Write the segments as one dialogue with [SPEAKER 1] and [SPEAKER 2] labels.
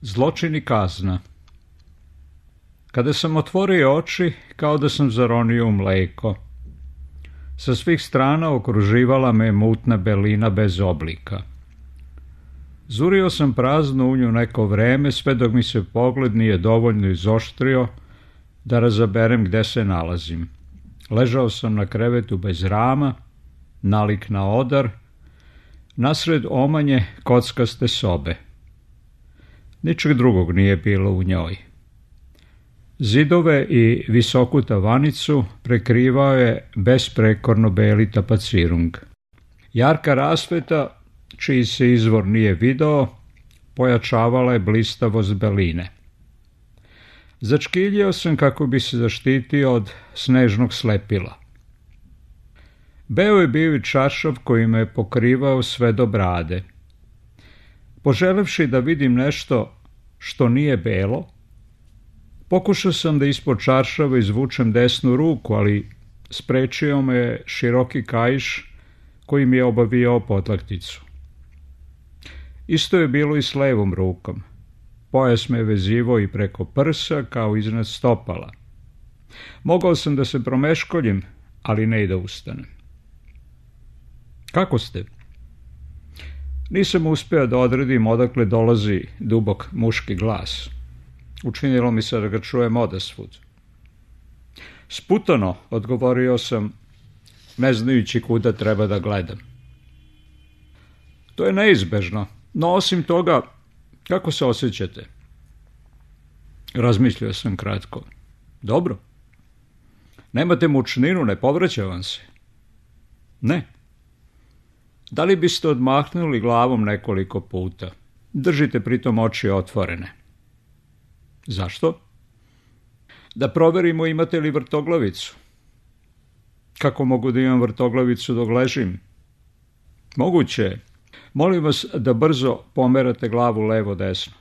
[SPEAKER 1] Zločin i kazna. Kada sam otvorio oči, kao da sam zaronio u mleko. Sa svih strana okruživala me mutna belina bez oblika. Zurio sam praznu u nju neko vreme, sve dok mi se pogled nije dovoljno izoštrio da razaberem gde se nalazim. Ležao sam na krevetu bez rama, nalik na odar, nasred omanje kockaste sobe. Ničeg drugog nije bilo u njoj. Zidove i visoku tavanicu prekrivao je besprekorno beli tapacirung. Jarka rasveta, čiji se izvor nije video, pojačavala je blistavost beline. Začkiljio sam kako bi se zaštitio od snežnog slepila. Beo je bio i čaršav koji me je pokrivao sve do brade. Poželevši da vidim nešto što nije belo, pokušao sam da ispod čaršava izvučem desnu ruku, ali sprečio me široki kaiš koji mi je obavijao potlakticu. Isto je bilo i s levom rukom. Pojas me je vezivao i preko prsa kao iznad stopala. Mogao sam da se promeškoljim, ali ne i da ustanem. Kako ste? Nisam uspeo da odredim odakle dolazi dubok muški glas. Učinilo mi se da ga čujem odasvud. Sputano, odgovorio sam, ne znajući kuda treba da gledam. To je neizbežno, no osim toga, kako se osjećate? Razmislio sam kratko. Dobro. Nemate mučninu, ne povraća vam se? Ne. Da li biste odmahnuli glavom nekoliko puta? Držite pritom oči otvorene. Zašto? Da proverimo imate li vrtoglavicu. Kako mogu da imam vrtoglavicu dok ležim? Moguće je. Molim vas da brzo pomerate glavu levo-desno.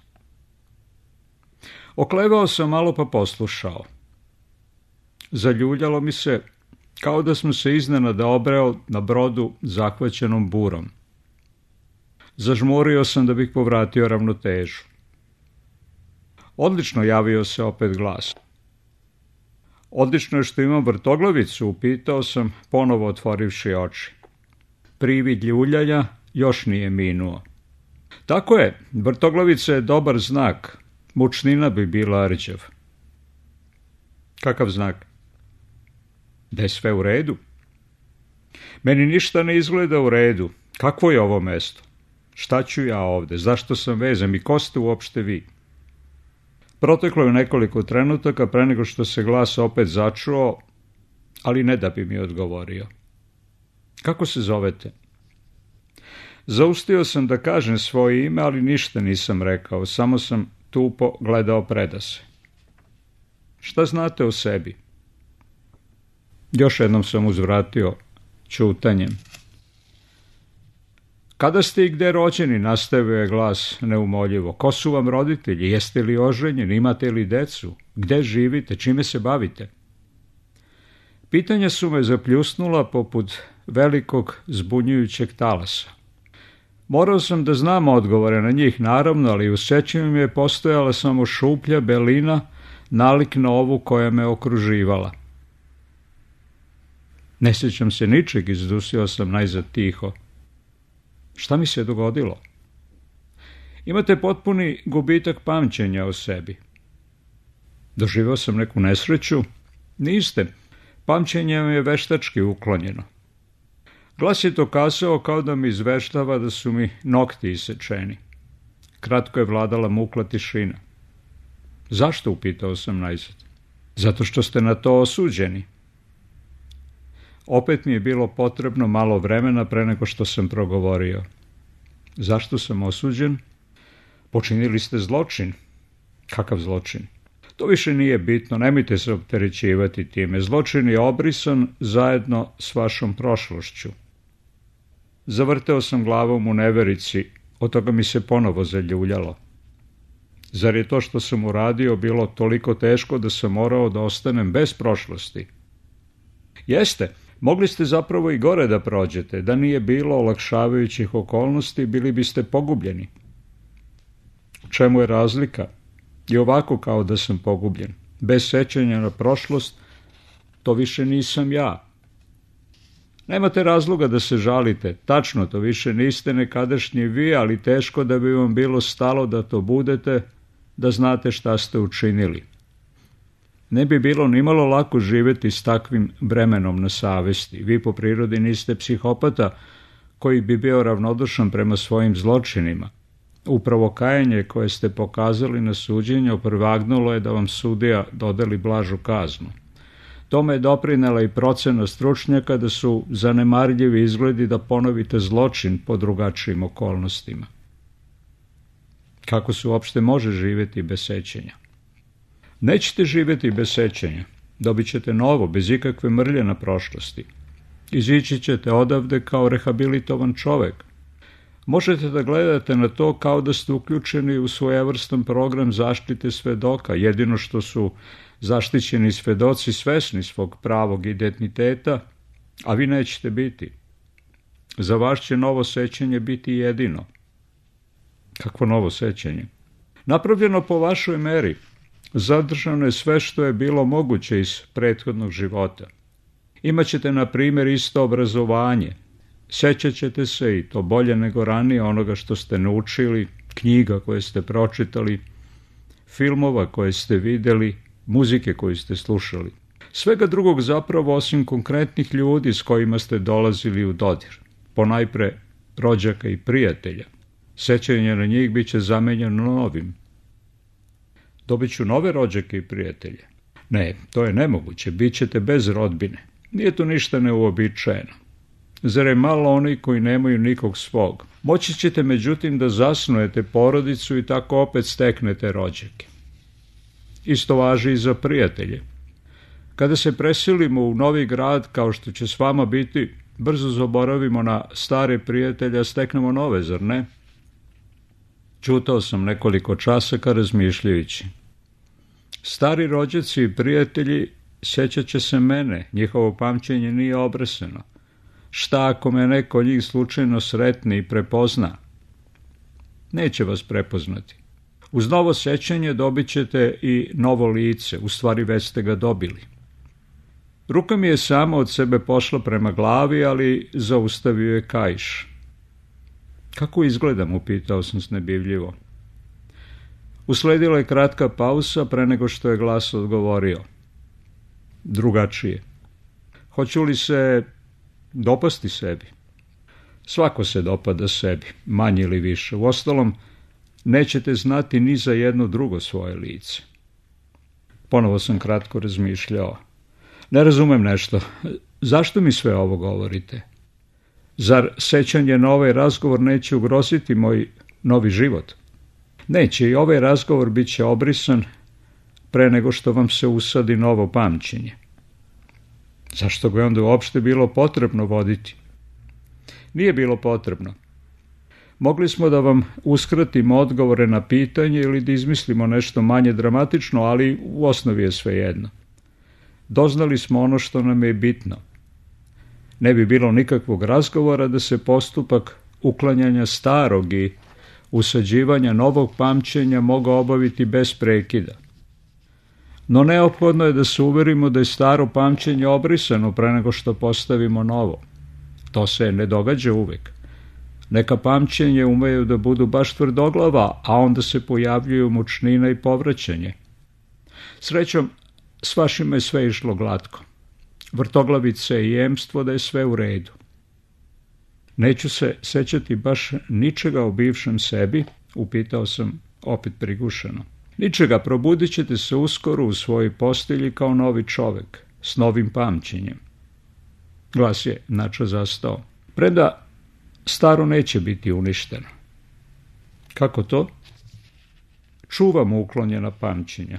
[SPEAKER 1] Oklevao sam malo pa poslušao. Zaljuljalo mi se kao da sam se iznenada obreo na brodu zahvaćenom burom. Zažmurio sam da bih povratio ravnotežu. Odlično, javio se opet glas. Odlično je što imam vrtoglavicu, upitao sam, ponovo otvorivši oči. Privid ljuljanja još nije minuo. Tako je, vrtoglavica je dobar znak. Mučnina bi bila rđav. Kakav znak? Da je sve u redu. Meni ništa ne izgleda u redu. Kakvo je ovo mesto? Šta ću ja ovde? Zašto sam vezan i ko ste uopšte vi? Proteklo je nekoliko trenutaka pre nego što se glas opet začuo, ali ne da bi mi odgovorio. Kako se zovete? Zaustio sam da kažem svoje ime, ali ništa nisam rekao, samo sam tupo gledao predase. Šta znate o sebi? Još jednom sam uzvratio ćutanjem. Kada ste i gde rođeni, nastavio je glas neumoljivo. Ko su vam roditelji? Jeste li oženjeni? Imate li decu? Gde živite? Čime se bavite? Pitanja su me zapljusnula poput velikog zbunjujućeg talasa. Morao sam da znam odgovore na njih, naravno, ali u sećanju mi je postojala samo šuplja belina, nalik na ovu koja me okruživala. Ne sjećam se ničeg, izdusio sam najzad tiho. Šta mi se dogodilo? Imate potpuni gubitak pamćenja o sebi. Doživao sam neku nesreću? Niste. Pamćenje mi je veštački uklonjeno. Glas je to kazao kao da mi izveštava da su mi nokti isečeni. Kratko je vladala mukla tišina. Zašto, upitao sam najzad? Zato što ste na to osuđeni. Opet mi je bilo potrebno malo vremena pre nego što sam progovorio. Zašto sam osuđen? Počinili ste zločin. Kakav zločin? To više nije bitno, nemojte se opterećivati time. Zločin je obrisan zajedno s vašom prošlošću. Zavrteo sam glavom u neverici, od toga mi se ponovo zaljuljalo. Zar je to što sam uradio bilo toliko teško da sam morao da ostanem bez prošlosti? Jeste, mogli ste zapravo i gore da prođete, da nije bilo olakšavajućih okolnosti, bili biste pogubljeni. U čemu je razlika? I ovako kao da sam pogubljen. Bez sećanja na prošlost, to više nisam ja. Nemate razloga da se žalite. Tačno, to više niste nekadašnji vi, ali teško da bi vam bilo stalo da to budete, da znate šta ste učinili. Ne bi bilo nimalo lako živjeti s takvim bremenom na savesti. Vi po prirodi niste psihopata koji bi bio ravnodušan prema svojim zločinima. Upravo kajanje koje ste pokazali na suđenju prvagnulo je da vam sudija dodeli blažu kaznu. Tome je doprinela i procena stručnjaka da su zanemarljivi izgledi da ponovite zločin po drugačijim okolnostima. Kako se uopšte može živjeti bez sećanja? Nećete živjeti bez sećanja. Dobit ćete novo, bez ikakve mrlje na prošlosti. Izići ćete odavde kao rehabilitovan čovek. Možete da gledate na to kao da ste uključeni u svojevrstan program zaštite svedoka, jedino što su zaštićeni svedoci svesni svog pravog identiteta, a vi nećete biti. Za vas će novo sećanje biti jedino. Kakvo novo sećanje? Napravljeno po vašoj meri. Zadržano je sve što je bilo moguće iz prethodnog života. Imaćete, na primjer, isto obrazovanje. Sećat ćete se, i to bolje nego ranije, onoga što ste naučili, knjiga koje ste pročitali, filmova koje ste vidjeli, muzike koju ste slušali. Svega drugog zapravo osim konkretnih ljudi s kojima ste dolazili u dodir. Ponajpre rođaka i prijatelja. Sećanje na njih bit će zamenjeno novim. Dobit ću nove rođake i prijatelje. Ne, to je nemoguće, bit ćete bez rodbine. Nije to ništa neuobičajeno. Zar je malo oni koji nemaju nikog svog? Moći ćete međutim da zasnujete porodicu i tako opet steknete rođake. Isto važi i za prijatelje. Kada se preselimo u novi grad, kao što će s vama biti, brzo zaboravimo na stare prijatelje, a steknemo nove, zar ne? Ćutao sam nekoliko časaka razmišljajući. Stari rođaci i prijatelji sjećat će se mene, njihovo pamćenje nije obreseno. Šta ako me neko od njih slučajno sretne i prepozna? Neće vas prepoznati. Uz novo sećanje dobit ćete i novo lice, u stvari već ste ga dobili. Ruka mi je sama od sebe pošla prema glavi, ali zaustavio je kaiš. Kako izgledam, upitao sam snebivljivo. Usledila je kratka pauza pre nego što je glas odgovorio. Drugačije. Hoću li se dopasti sebi? Svako se dopada sebi, manje ili više. Uostalom, nećete znati ni za jedno drugo svoje lice. Ponovo sam kratko razmišljao. Ne razumem nešto. Zašto mi sve ovo govorite? Zar sećanje na ovaj razgovor neće ugroziti moj novi život? Neće, i ovaj razgovor bit će obrisan pre nego što vam se usadi novo pamćenje. Zašto ga je onda uopšte bilo potrebno voditi? Nije bilo potrebno. Mogli smo da vam uskratimo odgovore na pitanje ili da izmislimo nešto manje dramatično, ali u osnovi je svejedno. Doznali smo ono što nam je bitno. Ne bi bilo nikakvog razgovora da se postupak uklanjanja starog i usađivanja novog pamćenja mogao obaviti bez prekida. No neophodno je da se uverimo da je staro pamćenje obrisano pre nego što postavimo novo. To se ne događa uvek. Neka pamćenje umeju da budu baš tvrdoglava, a onda se pojavljuju mučnina i povraćanje. Srećom, s vašima je sve išlo glatko. Vrtoglavice i jemstvo da je sve u redu. Neću se sećati baš ničega o bivšem sebi, upitao sam opet prigušeno. Ničega, probudit ćete se uskoro u svojoj postelji kao novi čovek, s novim pamćenjem. Glas je nača zastao. Preda staro neće biti uništeno. Kako to? Čuvamo uklonjena pamćenja.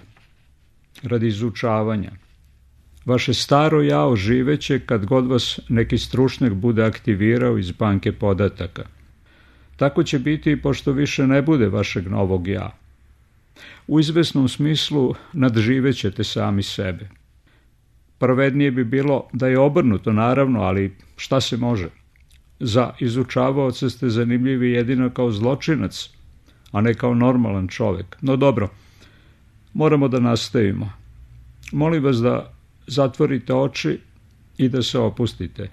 [SPEAKER 1] Radi izučavanja. Vaše staro ja oživeće kad god vas neki stručnjak bude aktivirao iz banke podataka. Tako će biti i pošto više ne bude vašeg novog ja. U izvesnom smislu nadživećete sami sebe. Pravednije bi bilo da je obrnuto, naravno, ali šta se može? Za izučavaoca ste zanimljivi jedino kao zločinac, a ne kao normalan čovjek. No dobro, moramo da nastavimo. Molim vas da zatvorite oči i da se opustite.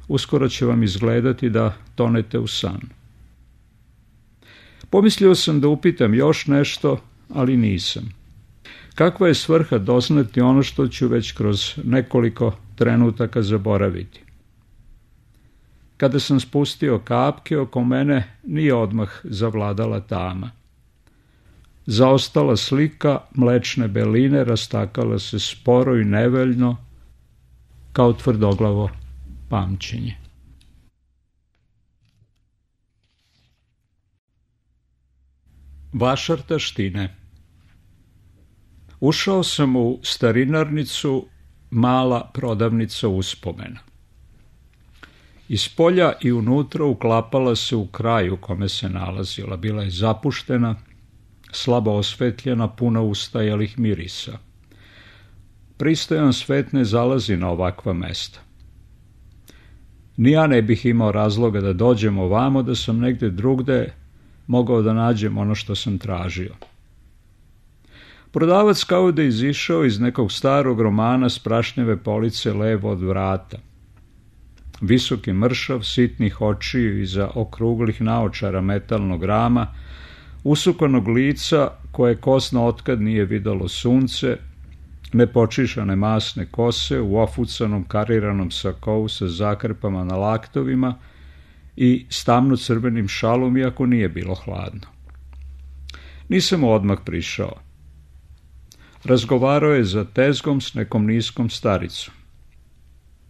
[SPEAKER 1] Uskoro će vam izgledati da tonete u san. Pomislio sam da upitam još nešto, ali nisam. Kakva je svrha doznati ono što ću već kroz nekoliko trenutaka zaboraviti? Kada sam spustio kapke, oko mene nije odmah zavladala tama. Zaostala slika mlečne beline rastakala se sporo i neveljno, kao tvrdoglavo pamćenje. Vašar taštine. Ušao sam u starinarnicu, mala prodavnica uspomena. Iz polja i unutra uklapala se u kraju u kome se nalazila. Bila je zapuštena, slabo osvetljena, puna ustajalih mirisa. Pristojan svet ne zalazi na ovakva mesta. Ni ja ne bih imao razloga da dođem ovamo, da sam negde drugde mogao da nađem ono što sam tražio. Prodavac kao da izišao iz nekog starog romana s prašnjave police levo od vrata. Visoki mršav, sitnih očiju iza okruglih naočara metalnog rama, usukanog lica koje kosno otkad nije videlo sunce, nepočišane masne kose u ofucanom kariranom sakou sa zakrpama na laktovima i s tamno-crvenim šalom, iako nije bilo hladno. Nisam mu odmah prišao. Razgovarao je za tezgom s nekom niskom staricom.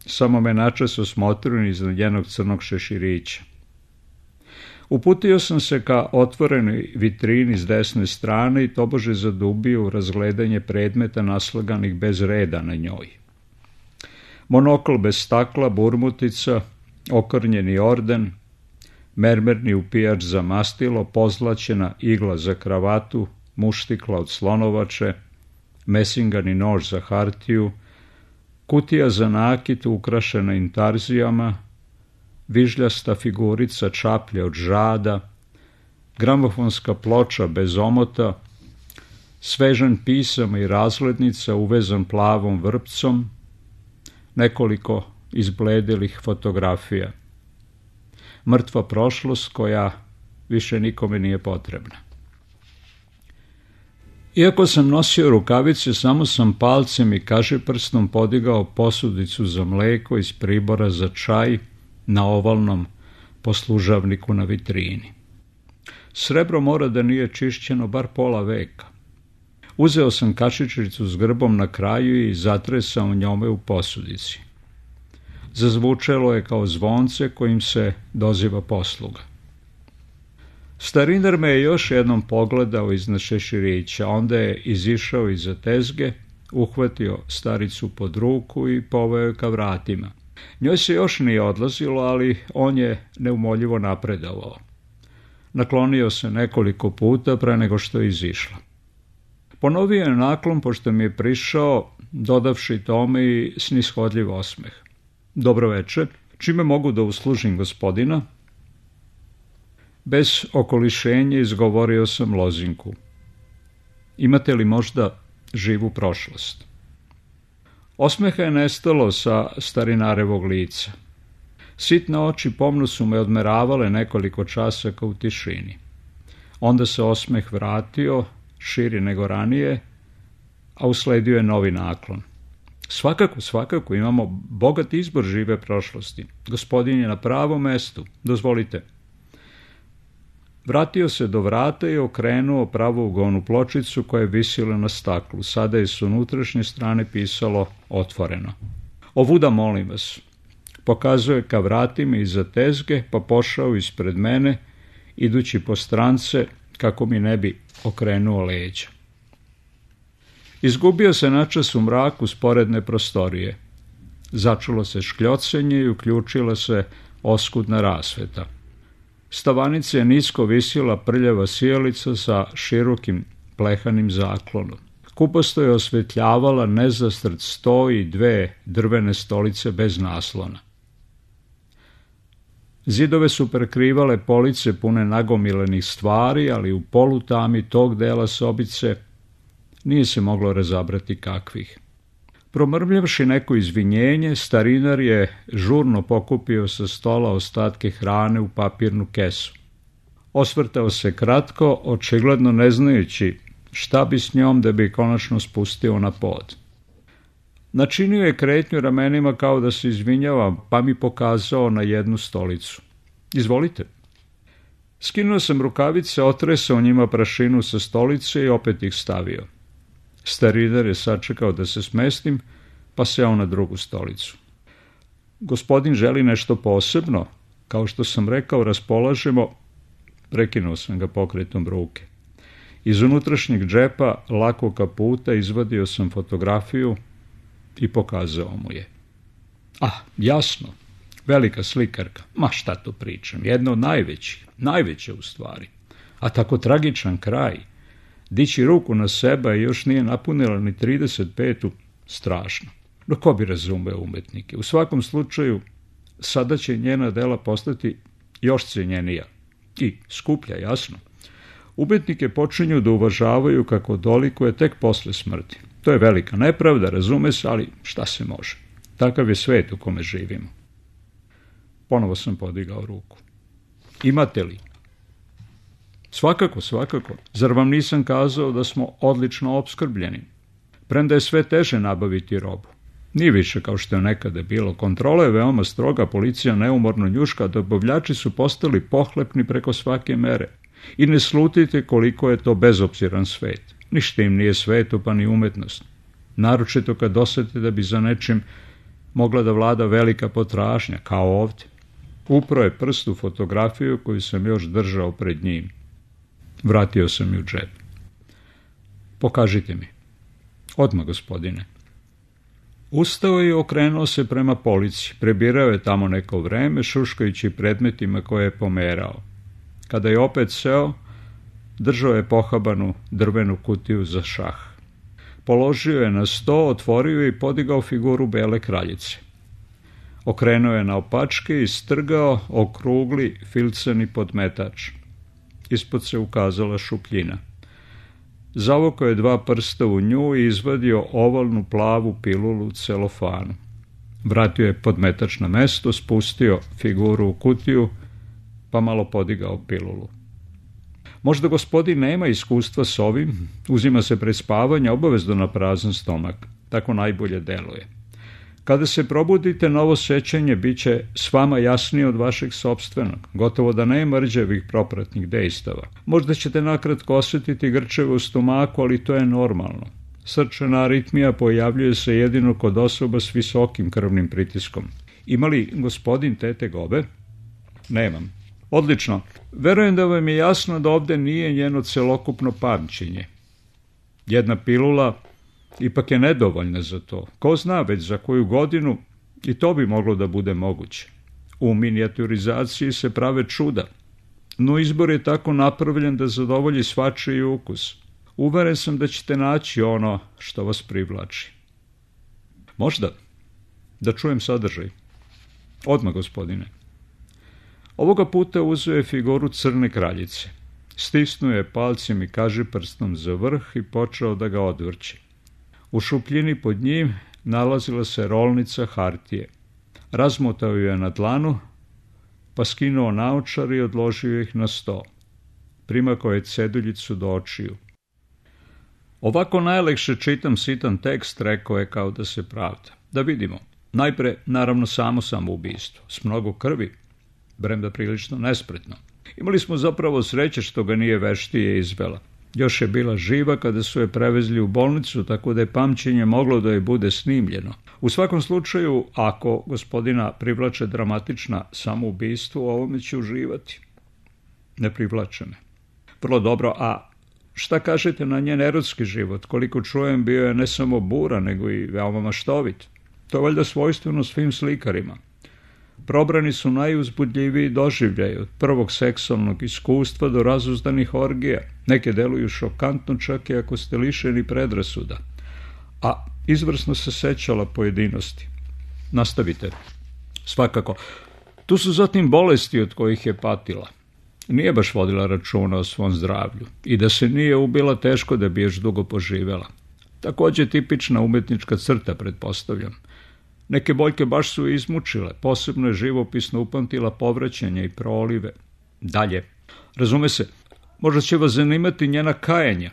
[SPEAKER 1] Samo me načas osmotrio iznad njenog crnog šeširića. Uputio sam se ka otvorenoj vitrini s desne strane i tobože zadubio u razgledanje predmeta naslaganih bez reda na njoj. Monokl bez stakla, burmutica, okrnjeni orden, mermerni upijač za mastilo, pozlaćena igla za kravatu, muštikla od slonovače, mesingani nož za hartiju, kutija za nakit ukrašena intarzijama, vižljasta figurica čaplje od žada, gramofonska ploča bez omota, svežan pisama i razglednica uvezan plavom vrpcom, nekoliko izbledelih fotografija. Mrtva prošlost koja više nikome nije potrebna. Iako sam nosio rukavice, samo sam palcem i kažiprstom podigao posudicu za mleko iz pribora za čaj na ovalnom poslužavniku na vitrini. Srebro mora da nije čišćeno bar pola veka. Uzeo sam kašičicu s grbom na kraju i zatresao njome u posudici. Zazvučelo je kao zvonce kojim se doziva posluga. Starinar me je još jednom pogledao iznad šeširića, onda je izišao iza tezge, uhvatio staricu pod ruku i poveo je ka vratima. Njoj se još nije odlazilo, ali on je neumoljivo napredovao. Naklonio se nekoliko puta pre nego što je izišla. Ponovio je naklon pošto mi je prišao, dodavši tome i snishodljiv osmeh. Dobro veče, čime mogu da uslužim gospodina? Bez okolišenja izgovorio sam lozinku. Imate li možda živu prošlost? Osmeha je nestalo sa starinarevog lica. Sitne oči pomno su me odmeravale nekoliko časaka u tišini. Onda se osmeh vratio, širi nego ranije, a usledio je novi naklon. Svakako, imamo bogat izbor žive prošlosti. Gospodin je na pravom mestu, dozvolite. Vratio se do vrata i okrenuo pravougovnu pločicu koja je visila na staklu. Sada je s unutrašnje strane pisalo otvoreno. Ovuda molim vas. Pokazuje ka vratima iza tezge, pa pošao ispred mene, idući po strance kako mi ne bi okrenuo leđa. Izgubio se načas u mraku sporedne prostorije. Začulo se škljocenje i uključila se oskudna rasveta. S tavanice je nisko visila prljava sijalica sa širokim plehanim zaklonom. Kupasto je osvetljavala nezastrt sto i dve drvene stolice bez naslona. Zidove su prekrivale police pune nagomilenih stvari, ali u polutami tog dela sobice nije se moglo razabrati kakvih. Promrmljavši neko izvinjenje, starinar je žurno pokupio sa stola ostatke hrane u papirnu kesu. Osvrtao se kratko, očigledno ne znajući šta bi s njom da bi konačno spustio na pod. Načinio je kretnju ramenima kao da se izvinjava, pa mi pokazao na jednu stolicu. Izvolite. Skinuo sam rukavice, otresao njima prašinu sa stolice i opet ih stavio. Starinar je sačekao da se smestim, pa seo na drugu stolicu. Gospodin želi nešto posebno, kao što sam rekao, raspolažemo. Prekinuo sam ga pokretom ruke. Iz unutrašnjeg džepa lakog kaputa izvadio sam fotografiju i pokazao mu je. Jasno, velika slikarka. Ma šta to pričam, jedna od najveće u stvari. A tako tragičan kraj. Dići ruku na sebe i još nije napunila ni 35. strašno. No ko bi razumeo umetnike? U svakom slučaju, sada će njena dela postati još cijenjenija. I skuplja, jasno. Umetnike počinju da uvažavaju kako dolikuje tek posle smrti. To je velika nepravda, razume se, ali šta se može? Takav je svet u kome živimo. Ponovo sam podigao ruku. Imate li? Svakako. Zar vam nisam kazao da smo odlično opskrbljeni? Premda je sve teže nabaviti robu. Nije više kao što je nekada bilo. Kontrola je veoma stroga, policija neumorno njuška, dobavljači su postali pohlepni preko svake mere. I ne slutite koliko je to bezobziran svet. Ništa im nije sveto, pa ni umetnost. Naročito kad osjete da bi za nečim mogla da vlada velika potražnja, kao ovdje. Upro je prst u fotografiju koju sam još držao pred njim. Vratio sam ju u džep. Pokažite mi. Odmah, gospodine. Ustao je i okrenuo se prema polici. Prebirao je tamo neko vreme, šuškajući predmetima koje je pomerao. Kada je opet seo, držao je pohabanu drvenu kutiju za šah. Položio je na sto, otvorio je i podigao figuru bele kraljice. Okrenuo je naopačke i strgao okrugli filcani podmetač. Ispod se ukazala šupljina. Zavukao je 2 prsta u nju i izvadio ovalnu plavu pilulu u celofanu. Vratio je podmetač na mesto, spustio figuru u kutiju, pa malo podigao pilulu. Možda gospodin nema iskustva s ovim, uzima se pred spavanje obavezno na prazan stomak. Tako najbolje deluje. Kada se probudite, novo sećanje bit će s vama jasnije od vašeg sopstvenog. Gotovo da nema rđevih propratnih dejstava. Možda ćete nakratko osjetiti grčeve u stomaku, ali to je normalno. Srčana aritmija pojavljuje se jedino kod osoba s visokim krvnim pritiskom. Ima li gospodin te tegobe? Nemam. Odlično. Verujem da vam je jasno da ovdje nije njeno celokupno pamćenje. Jedna pilula ipak je nedovoljna za to. Ko zna, već za koju godinu i to bi moglo da bude moguće. U minijaturizaciji se prave čuda, no izbor je tako napravljen da zadovolji svačiji ukus. Uveren sam da ćete naći ono što vas privlači. Možda. Da čujem sadržaj. Odmah, gospodine. Ovoga puta uzeo je figuru crne kraljice. Stisnuo je palcem i kažiprstom za vrh i počeo da ga odvrći. U šupljini pod njim nalazila se rolnica hartije. Razmotao ju je na dlanu, pa skinuo naočar i odložio ih na sto. Primakao je ceduljicu do očiju. Ovako najlekše čitam sitan tekst, rekao je kao da se pravda. Da vidimo. Najpre, naravno, samo samoubistvo. S mnogo krvi, bremda prilično nespretno. Imali smo zapravo sreće što ga nije veštije izvela. Još je bila živa kada su je prevezli u bolnicu, tako da je pamćenje moglo da je bude snimljeno. U svakom slučaju, ako gospodina privlače dramatična samoubistvo, u ovome će uživati. Ne privlače me. Vrlo dobro, a šta kažete na njen erotski život? Koliko čujem, bio je ne samo buran, nego i veoma maštovit. To je valjda svojstveno svim slikarima. Probrani su najuzbudljiviji doživljaj, od prvog seksualnog iskustva do razuzdanih orgija. Neke deluju šokantno čak i ako ste lišeni predrasuda. A izvrsno se sećala pojedinosti. Nastavite. Svakako. Tu su zatim bolesti od kojih je patila. Nije baš vodila računa o svom zdravlju i da se nije ubila, teško da bi još dugo poživela. Također tipična umetnička crta, pretpostavljam. Neke boljke baš su izmučile, posebno je živopisno upamtila povraćanja i prolive. Dalje, razume se, možda će vas zanimati njena kajanja.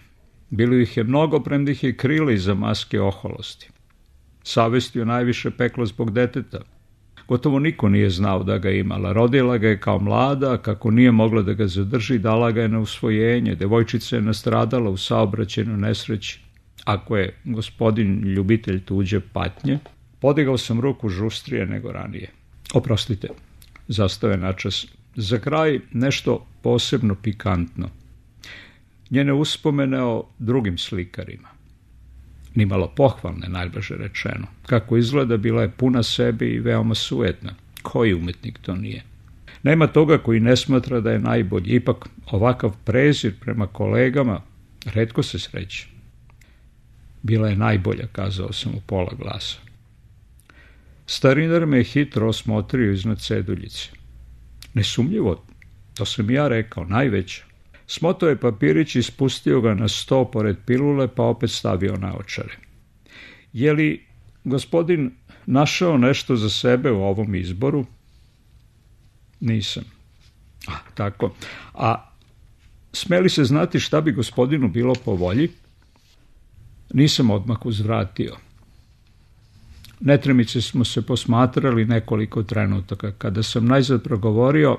[SPEAKER 1] Bilo ih je mnogo, premda ih je krila iza maske oholosti. Savest ju najviše pekla zbog deteta. Gotovo niko nije znao da ga imala. Rodila ga je kao mlada, a kako nije mogla da ga zadrži, dala ga je na usvojenje. Devojčica je nastradala u saobraćajnoj nesreći. Ako je gospodin ljubitelj tuđe patnje, podigao sam ruku žustrije nego ranije. Oprostite, zastao je načas. Za kraj nešto posebno pikantno. Njene uspomene o drugim slikarima. Nimalo pohvalne, najblaže rečeno. Kako izgleda, bila je puna sebe i veoma sujetna. Koji umetnik to nije? Nema toga koji ne smatra da je najbolji. Ipak ovakav prezir prema kolegama retko se sreće. Bila je najbolja, kazao sam u pola glasa. Starinar me je hitro osmotrio iznad ceduljice. Nesumnjivo, to sam ja rekao, najveća. Smotao je papirić i spustio ga na sto pored pilule, pa opet stavio naočare. Je li gospodin našao nešto za sebe u ovom izboru? Nisam. Tako. A smeli se znati šta bi gospodinu bilo po volji? Nisam odmah uzvratio. Netremice smo se posmatrali nekoliko trenutaka. Kada sam najzad progovorio,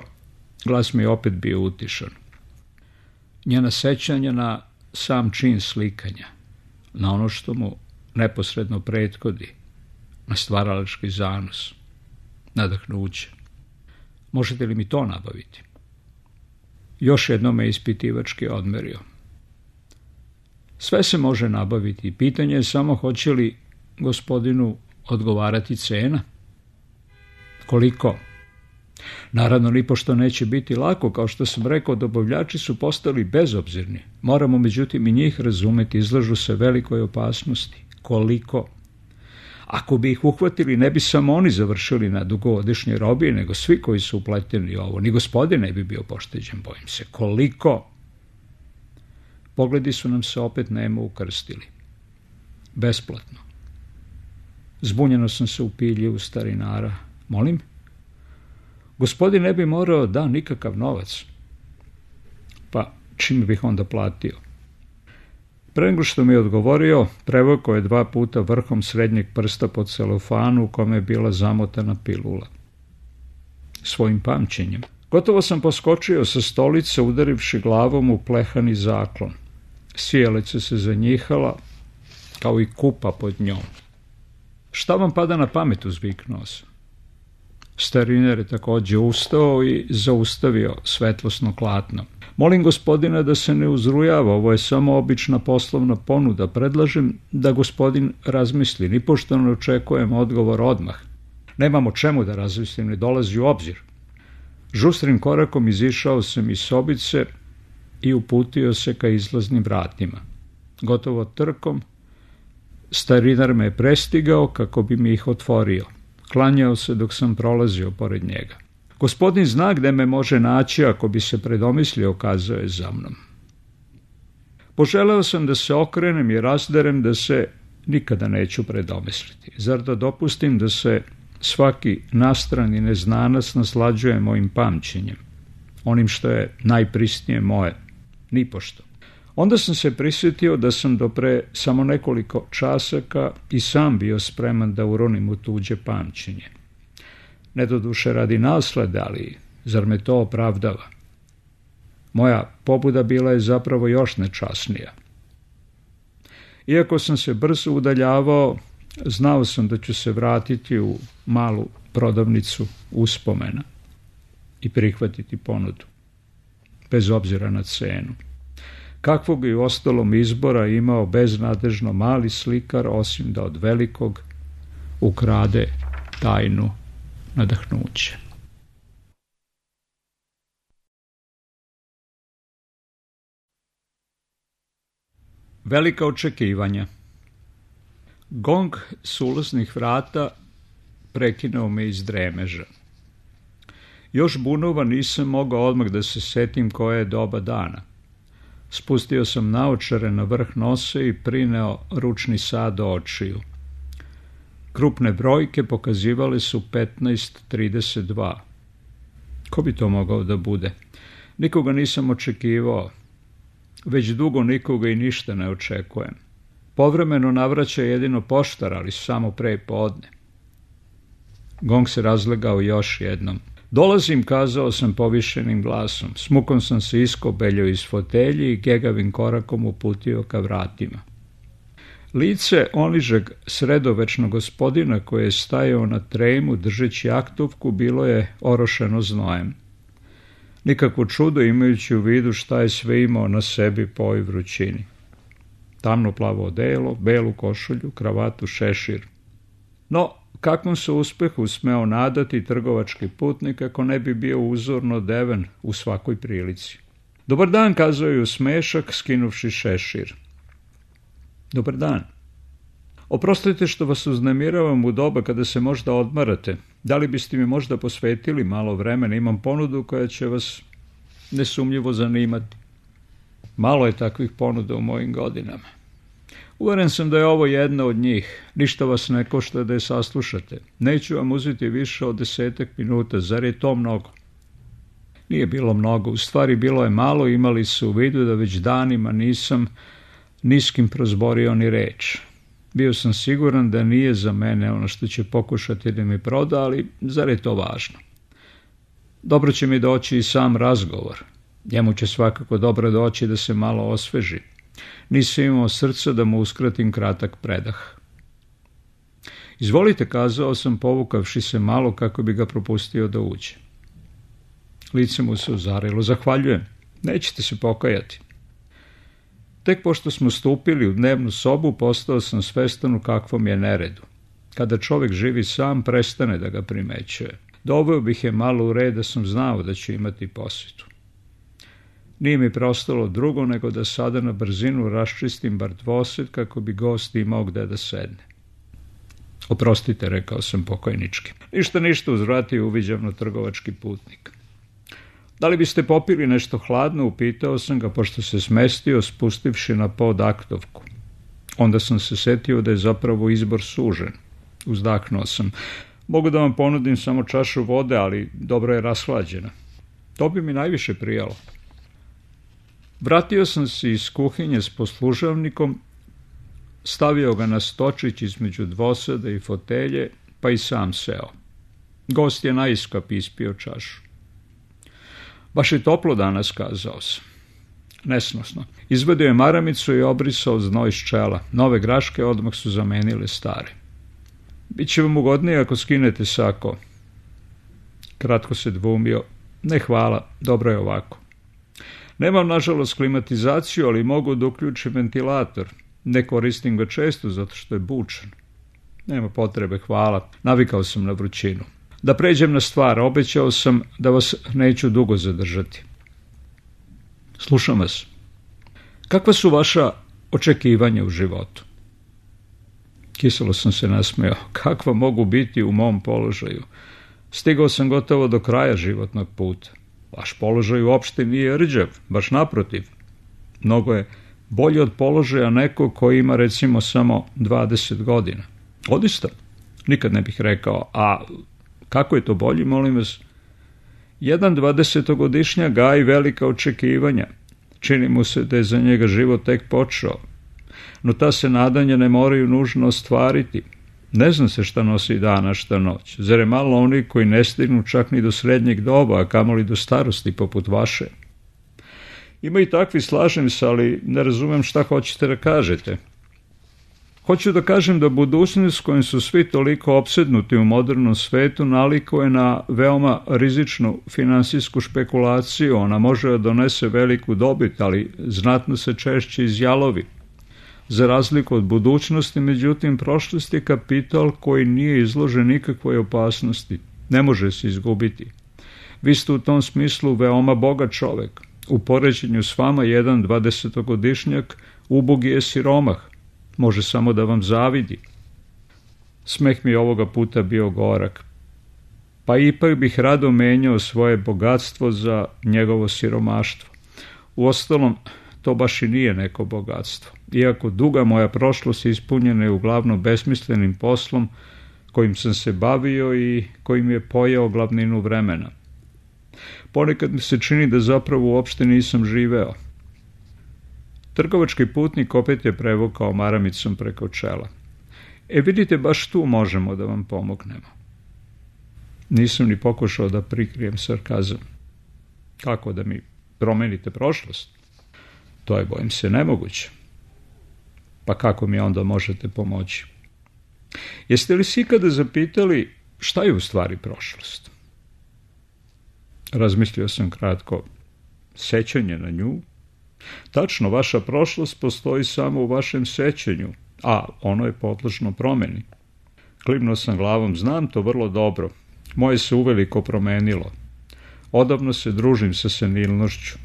[SPEAKER 1] glas mi je opet bio utišan. Njena sećanja na sam čin slikanja, na ono što mu neposredno prethodi, na stvaralački zanos, nadahnuće. Možete li mi to nabaviti? Još jednom me ispitivački odmerio. Sve se može nabaviti. Pitanje je samo hoće li gospodinu odgovarati cena. Koliko? Naravno, nipošto neće biti lako, kao što sam rekao, dobavljači su postali bezobzirni. Moramo međutim i njih razumeti, izlažu se velikoj opasnosti. Koliko? Ako bi ih uhvatili, ne bi samo oni završili na dugogodišnje robije, nego svi koji su upleteni u ovo. Ni gospodin ne bi bio pošteđen, bojim se. Koliko? Pogledi su nam se opet nemo ukrstili. Besplatno. Zbunjeno sam se upilio u starinara. Molim? Gospodin ne bi morao da nikakav novac. Pa čime bih onda platio? Pre nego što mi je odgovorio, prevukao je 2 puta vrhom srednjeg prsta po celofanu u kome je bila zamotana pilula. Svojim pamćenjem. Gotovo sam poskočio sa stolice, udarivši glavom u plehani zaklon. Sijalica se zanjihala, kao i kupa pod njom. Šta vam pada na pamet, uzviknuo sam. Stariner je također ustao i zaustavio svetlosno klatno. Molim gospodina da se ne uzrujava, ovo je samo obična poslovna ponuda. Predlažem da gospodin razmisli, nipošto ne očekujem odgovor odmah. Nemam o čemu da razmislim, ne dolazi u obzir. Žustrim korakom izišao sam iz sobice i uputio se ka izlaznim vratima. Gotovo trkom, starinar me je prestigao kako bi mi ih otvorio. Klanjao se dok sam prolazio pored njega. Gospodin zna gde me može naći ako bi se predomislio, kazao je za mnom. Poželeo sam da se okrenem i razderem da se nikada neću predomisliti. Zar da dopustim da se svaki nastrani neznanac naslađuje mojim pamćenjem, onim što je najprisnije moje? Nipošto. Onda sam se prisjetio da sam do pre samo nekoliko časaka i sam bio spreman da uronim u tuđe pamćenje. Ne doduše radi naslede, ali zar me to opravdava? Moja pobuda bila je zapravo još nečasnija. Iako sam se brzo udaljavao, znao sam da ću se vratiti u malu prodavnicu uspomena i prihvatiti ponudu, bez obzira na cenu. Kakvog i ostalom izbora imao beznadežno mali slikar, osim da od velikog ukrade tajnu nadahnuće. Velika očekivanja. Gong s ulaznih vrata prekinuo me iz dremeža. Još bunova nisam mogao odmah da se setim koje je doba dana. Spustio sam naočare na vrh nosa i prineo ručni sat do očiju. Krupne brojke pokazivale su 15:32. Ko bi to mogao da bude? Nikoga nisam očekivao. Već dugo nikoga i ništa ne očekujem. Povremeno navraća jedino poštar, ali samo pre podne. Gong se razlegao još jednom. Dolazim, kazao sam povišenim glasom. Smukom sam se iskobeljao iz fotelji i gegavim korakom uputio ka vratima. Lice onižeg sredovečnog gospodina koji je stajao na tremu držeći aktovku bilo je orošeno znojem. Nikakvo čudo imajući u vidu šta je sve imao na sebi po ovoj vrućini. Tamno plavo odelo, belu košulju, kravatu, šešir. No, kakvom se uspehu smeo nadati trgovački putnik ako ne bi bio uzorno odeven u svakoj prilici. Dobar dan, kazao je u smešak, skinuvši šešir. Dobar dan. Oprostite što vas uznemiravam u doba kada se možda odmarate. Da li biste mi možda posvetili malo vremena? Imam ponudu koja će vas nesumnjivo zanimati. Malo je takvih ponuda u mojim godinama. Uveren sam da je ovo jedna od njih. Ništa vas ne košta da je saslušate. Neću vam uzeti više od 10 minuta. Zar je to mnogo? Nije bilo mnogo. U stvari bilo je malo. Imali su u vidu da već danima nisam niskim prozborio ni reč. Bio sam siguran da nije za mene ono što će pokušati da mi proda, ali zar je to važno? Dobro će mi doći i sam razgovor. Njemu će svakako dobro doći da se malo osveži. Nisam imao srca da mu uskratim kratak predah. Izvolite, kazao sam, povukavši se malo kako bi ga propustio da uđe. Lice mu se ozarilo. Zahvaljujem. Nećete se pokajati. Tek pošto smo stupili u dnevnu sobu, postao sam svestan u kakvom je neredu. Kada čovjek živi sam, prestane da ga primećuje. Doveo bih je malo u red da sam znao da će imati posjetu. Nije mi preostalo drugo nego da sada na brzinu raščistim bar dvosed kako bi gost imao gde da sedne. Oprostite, rekao sam pokojnički. Ništa, uzvratio uviđavno trgovački putnik. Da li biste popili nešto hladno, upitao sam ga, pošto se smestio, spustivši na pod aktovku. Onda sam se setio da je zapravo izbor sužen. Uzdahnuo sam. Mogu da vam ponudim samo čašu vode, ali dobro je rashlađena. To bi mi najviše prijalo. Vratio sam se iz kuhinje s poslužavnikom, stavio ga na stočić između dvoseda i fotelje, pa i sam seo. Gost je naiskap ispio čašu. Baš je toplo danas, kazao sam. Nesnosno. Izvadio je maramicu i obrisao znoj iz čela. Nove graške odmah su zamenile stare. Biće vam ugodnije ako skinete sako. Kratko se dvoumio. Ne, hvala, dobro je ovako. Nemam, nažalost, klimatizaciju, ali mogu da uključim ventilator. Ne koristim ga često, zato što je bučan. Nema potrebe, hvala. Navikao sam na vrućinu. Da pređem na stvar, obećao sam da vas neću dugo zadržati. Slušam vas. Kakva su vaša očekivanja u životu? Kiselo sam se nasmejao. Kakva mogu biti u mom položaju? Stigao sam gotovo do kraja životnog puta. Vaš položaj uopšte nije rđav, baš naprotiv. Mnogo je bolji od položaja nekog koji ima recimo samo 20 godina. Odista? Nikad ne bih rekao. A kako je to bolji, molim vas? Jedan 20-godišnjak gaji velika očekivanja. Čini mu se da je za njega život tek počeo. No ta se nadanja ne moraju nužno ostvariti. Ne zna se šta nosi dan, a šta noć. Zar je malo oni koji ne stignu čak ni do srednjeg doba, a kamoli do starosti poput vaše? Ima i takvi, slažem se, ali ne razumem šta hoćete da kažete. Hoću da kažem da budućnost s kojom su svi toliko opsednuti u modernom svetu nalikuje na veoma rizičnu finansijsku špekulaciju. Ona može da donese veliku dobit, ali znatno se češće izjalovi. Za razliku od budućnosti, međutim, prošlost je kapital koji nije izložen nikakvoj opasnosti. Ne može se izgubiti. Vi ste u tom smislu veoma bogat čovek. U poređenju s vama jedan 20-godišnjak ubogi je siromah. Može samo da vam zavidi. Smeh mi ovoga puta bio gorak. pa ipak bih rado menjao svoje bogatstvo za njegovo siromaštvo. Uostalom, to baš i nije neko bogatstvo, iako duga moja prošlost ispunjena je uglavnom besmislenim poslom kojim sam se bavio i kojim je pojeo glavninu vremena. Ponekad mi se čini da zapravo uopšte nisam živeo. Trgovački putnik opet je prevukao maramicom preko čela. Vidite, baš tu možemo da vam pomognemo. Nisam ni pokušao da prikrijem sarkazam. Kako da mi promenite prošlost? To je, bojim se, nemoguće. Pa kako mi onda možete pomoći? Jeste li si ikada zapitali šta je u stvari prošlost? Razmislio sam kratko. Sećanje na nju? Tačno, vaša prošlost postoji samo u vašem sećanju, a ono je podložno promeni. Klimnuo sam glavom, znam to vrlo dobro. Moje se uveliko promenilo. Odavno se družim sa senilnošću.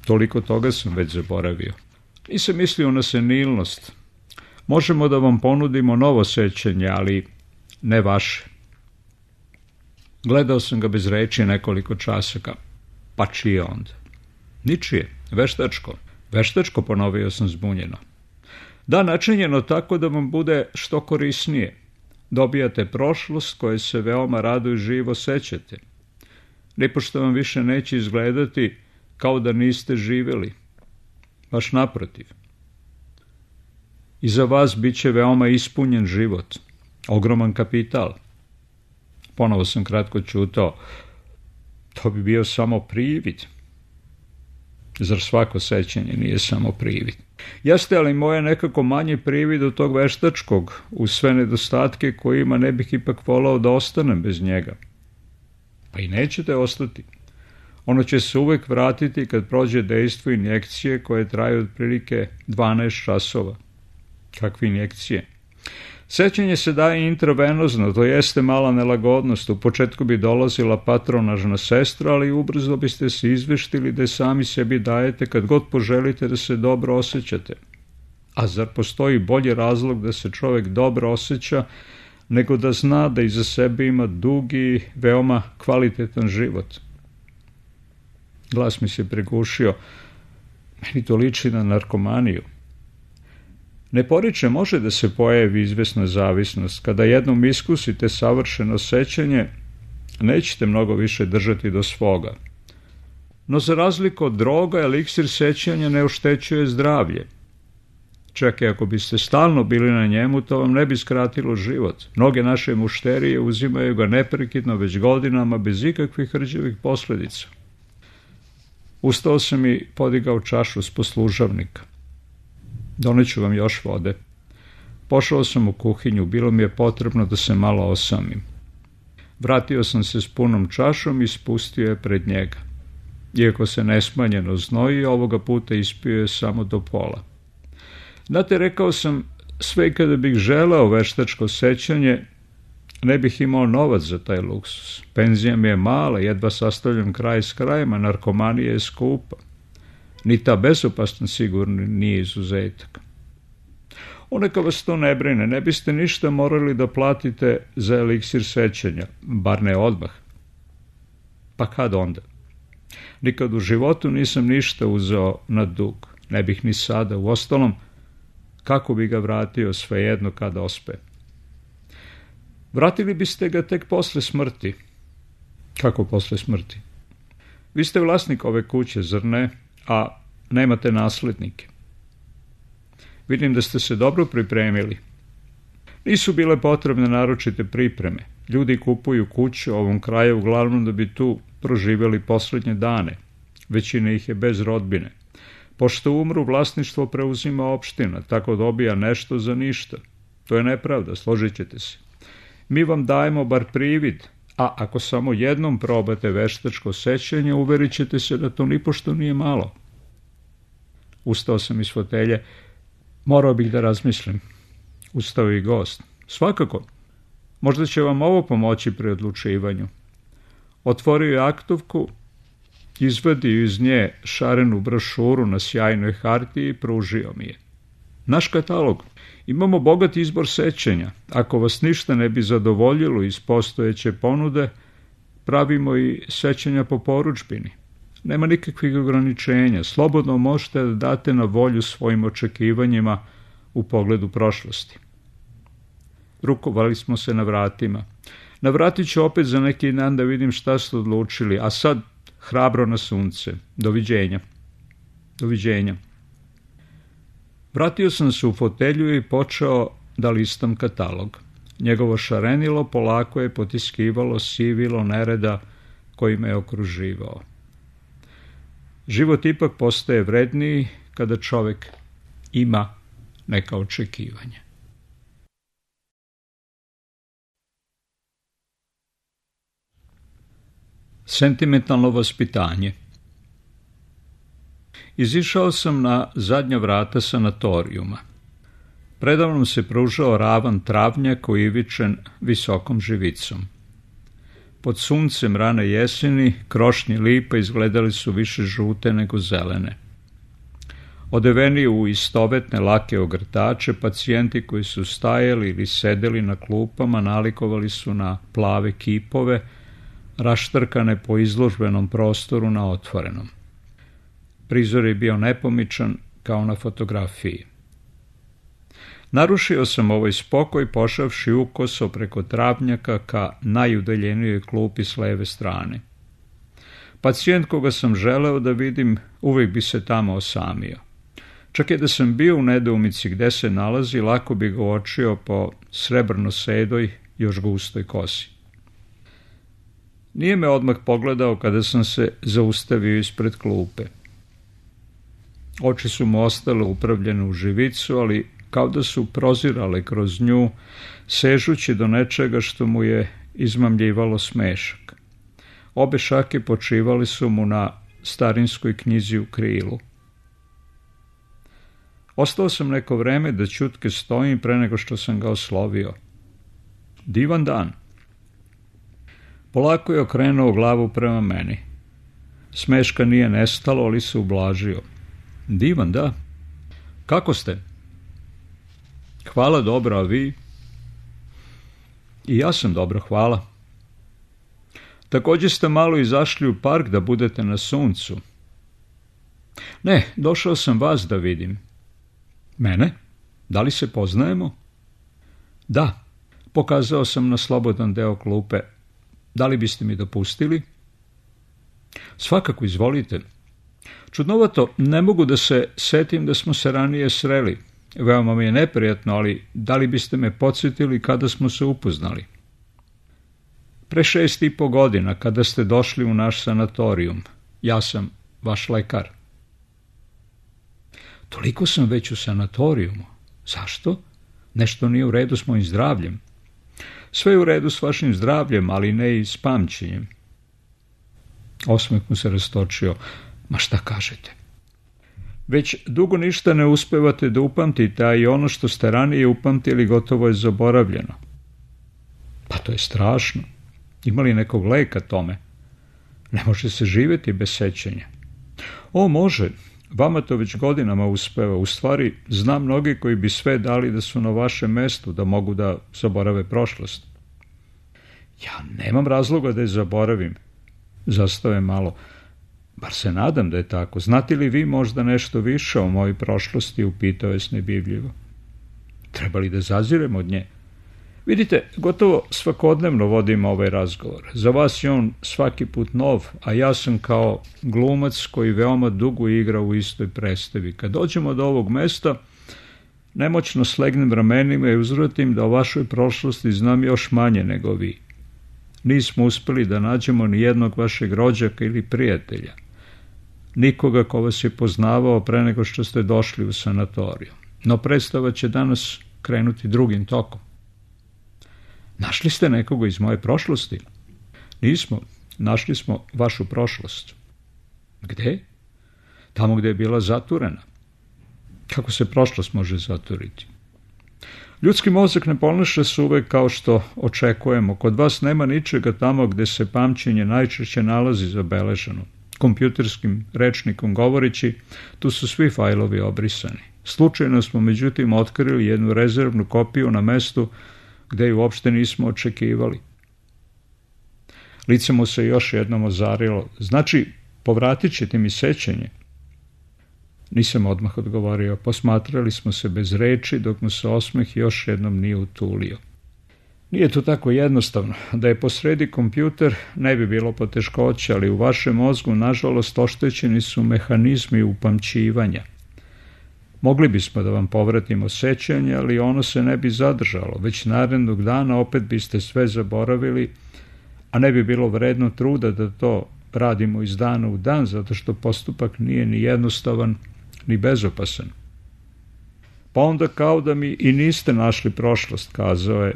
[SPEAKER 1] Toliko toga sam već zaboravio. Nisam mislio na senilnost. Možemo da vam ponudimo novo sećanje, ali ne vaše. Gledao sam ga bez reči nekoliko časaka. Pa čije onda? Ničije, veštačko. Veštačko, ponovio sam zbunjeno. Da, načinjeno tako da vam bude što korisnije. Dobijate prošlost koje se veoma rado i živo sećate. Nipošto vam više neće izgledati kao da niste živjeli. Baš naprotiv. I za vas bit će veoma ispunjen život. Ogroman kapital. Ponovo sam kratko ćutao. To bi bio samo privid. Zar svako sećanje nije samo privid? Jeste, ali moje nekako manje privid od tog veštačkog, uz sve nedostatke kojima ne bih ipak volao da ostanem bez njega. Pa i nećete ostati. Ono će se uvek vratiti kad prođe dejstvo injekcije koje traju otprilike 12 časova. Kakve injekcije? Sećanje se daje intravenozno, to jeste mala nelagodnost. U početku bi dolazila patronažna sestra, ali ubrzo biste se izveštili da je sami sebi dajete kad god poželite da se dobro osjećate. A zar postoji bolji razlog da se čovjek dobro osjeća nego da zna da iza sebe ima dugi, veoma kvalitetan život? Glas mi se pregušio. Meni to liči na narkomaniju. Ne poriče, može da se pojavi izvesna zavisnost. Kada jednom iskusite savršeno sećanje, nećete mnogo više držati do svoga. No za razliku od droga, eliksir sećanja ne oštećuje zdravlje. Čak i ako biste stalno bili na njemu, to vam ne bi skratilo život. Mnoge naše mušterije uzimaju ga neprekidno već godinama bez ikakvih rđevih posljedica. Ustao sam i podigao čašu s poslužavnika. Doneću vam još vode. Pošao sam u kuhinju, bilo mi je potrebno da se malo osamim. Vratio sam se s punom čašom i spustio je pred njega. Iako se nesmanjeno znoji, ovoga puta ispio je samo do pola. Znate, rekao sam, sve kada bih želeo veštačko sećanje, ne bih imao novac za taj luksus. Penzija mi je mala, jedva sastavljam kraj s krajem, a narkomanija je skupa. Ni ta bezopasna sigurno nije izuzetak. Neka vas to ne brine, ne biste ništa morali da platite za eliksir sećanja, bar ne odmah. Pa kad onda? Nikad u životu nisam ništa uzeo na dug, ne bih ni sada, uostalom, kako bi ga vratio svejedno kad ospe. Vratili biste ga tek posle smrti. Kako posle smrti? Vi ste vlasnik ove kuće, zar ne? A nemate naslednike. Vidim da ste se dobro pripremili. Nisu bile potrebne naročite pripreme. Ljudi kupuju kuće u ovom kraju uglavnom da bi tu proživjeli posljednje dane. Većina ih je bez rodbine. Pošto umru, vlasništvo preuzima opština, tako dobija nešto za ništa. To je nepravda, složit ćete se. Mi vam dajemo bar privid, a ako samo jednom probate veštačko sećanje, uverit ćete se da to nipošto nije malo. Ustao sam iz fotelje. Morao bih da razmislim. Ustao i gost. Svakako. Možda će vam ovo pomoći pri odlučivanju. Otvorio je aktovku, izvadio iz nje šarenu brošuru na sjajnoj hartiji i pružio mi je. Naš katalog. Imamo bogat izbor sećanja. Ako vas ništa ne bi zadovoljilo iz postojeće ponude, pravimo i sećanja po porudžbini. Nema nikakvih ograničenja. Slobodno možete da date na volju svojim očekivanjima u pogledu prošlosti. Rukovali smo se na vratima. Navratit ću opet za neki dan da vidim šta ste odlučili, a sad hrabro na sunce. Doviđenja. Doviđenja. Vratio sam se u fotelju i počeo da listam katalog. Njegovo šarenilo polako je potiskivalo sivilo nereda koji me je okruživao. Život ipak postaje vredniji kada čovek ima neka očekivanja. Sentimentalno vaspitanje. Izišao sam na zadnja vrata sanatorijuma. Predavnom se pružao ravan travnjak uivičen visokom živicom. Pod suncem rane jeseni krošnje lipa izgledali su više žute nego zelene. Odeveni u istovetne lake ogrtače, pacijenti koji su stajali ili sedeli na klupama nalikovali su na plave kipove, raštrkane po izložbenom prostoru na otvorenom. Prizor je bio nepomičan kao na fotografiji. Narušio sam ovaj spokoj pošavši ukoso preko travnjaka ka najudaljenijoj klupi s leve strane. Pacijent koga sam želeo da vidim uvijek bi se tamo osamio. Čak i da sam bio u nedoumici gde se nalazi, lako bi ga uočio po srebrno sedoj, još gustoj kosi. Nije me odmah pogledao kada sam se zaustavio ispred klupe. Oči su mu ostale upravljene u živicu, ali kao da su prozirale kroz nju, sežući do nečega što mu je izmamljivalo smešak. Obe šake počivali su mu na starinskoj knjizi u krilu. Ostao sam neko vreme da ćutke stojim pre nego što sam ga oslovio. Divan dan. Polako je okrenuo glavu prema meni. Smeška nije nestalo, ali se ublažio. Divan, da. Kako ste? Hvala dobro, a vi? I ja sam dobro, hvala. Također ste malo izašli u park da budete na suncu. Ne, došao sam vas da vidim. Mene? Da li se poznajemo? Da, pokazao sam na slobodan deo klupe. Da li biste mi dopustili? Svakako, izvolite. Čudnovato, ne mogu da se setim da smo se ranije sreli. Veoma mi je neprijatno, ali da li biste me podsjetili kada smo se upoznali? Pre 6,5 godina, kada ste došli u naš sanatorijum. Ja sam vaš lekar. Toliko sam već u sanatorijumu. Zašto? Nešto nije u redu s mojim zdravljem. Sve je u redu s vašim zdravljem, ali ne i s pamćenjem. Osmeh mu se rastočio. Ma šta kažete? Već dugo ništa ne uspevate da upamtite, a i ono što ste ranije upamtili gotovo je zaboravljeno. Pa to je strašno. Ima li nekog leka tome? Ne može se živjeti bez sećanja. O, može. Vama to već godinama uspeva. U stvari, znam mnogi koji bi sve dali da su na vašem mestu, da mogu da zaborave prošlost. Ja nemam razloga da je zaboravim. Zastao je malo. Bar se nadam da je tako. Znate li vi možda nešto više o mojoj prošlosti, upitao je snebivljivo. Treba li da zazirem od nje? Vidite, gotovo svakodnevno vodim ovaj razgovor. Za vas je on svaki put nov, a ja sam kao glumac koji veoma dugo igra u istoj predstavi. Kad dođemo do ovog mesta, nemoćno slegnem ramenima i uzvratim da o vašoj prošlosti znam još manje nego vi. Nismo uspeli da nađemo ni jednog vašeg rođaka ili prijatelja. Nikoga ko vas je poznavao pre nego što ste došli u sanatoriju. No predstava će danas krenuti drugim tokom. Našli ste nekoga iz moje prošlosti? Nismo. Našli smo vašu prošlost. Gde? Tamo gde je bila zaturena. Kako se prošlost može zaturiti? Ljudski mozak ne ponaša se uvek kao što očekujemo. Kod vas nema ničega tamo gde se pamćenje najčešće nalazi zabeleženo. Kompjuterskim rečnikom govoreći, tu su svi fajlovi obrisani. Slučajno smo međutim otkrili jednu rezervnu kopiju na mestu gde ju uopšte nismo očekivali. Lice mu se još jednom ozarilo. Znači, povratit ćete mi sećanje? Nisam odmah odgovorio. Posmatrali smo se bez reči, dok mu se osmeh još jednom nije utulio. Nije to tako jednostavno. Da je posredi kompjuter, ne bi bilo poteškoća, ali u vašem mozgu, nažalost, oštećeni su mehanizmi upamćivanja. Mogli bismo da vam povratimo sećanje, ali ono se ne bi zadržalo. Već narednog dana opet biste sve zaboravili, a ne bi bilo vredno truda da to radimo iz dana u dan, zato što postupak nije ni jednostavan, ni bezopasan. Pa onda kao da mi i niste našli prošlost, kazao je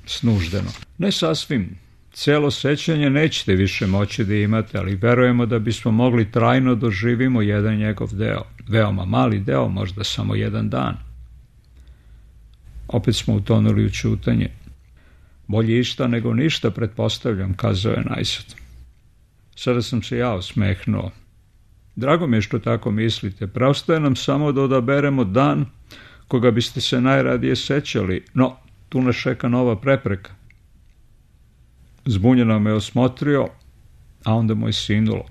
[SPEAKER 1] snuždeno. Ne sasvim. Celo sećanje nećete više moći da imate, ali verujemo da bismo mogli trajno doživimo jedan njegov deo. Veoma mali deo, možda samo jedan dan. Opet smo utonuli u ćutanje. Bolje išta nego ništa, pretpostavljam, kazao je najsad. Sada sam se ja osmehnuo. Drago mi je što tako mislite. Preostaje nam samo da odaberemo dan koga biste se najradije sećali, no tu nas čeka nova prepreka. Zbunjeno me osmotrio, a onda mu je sinulo.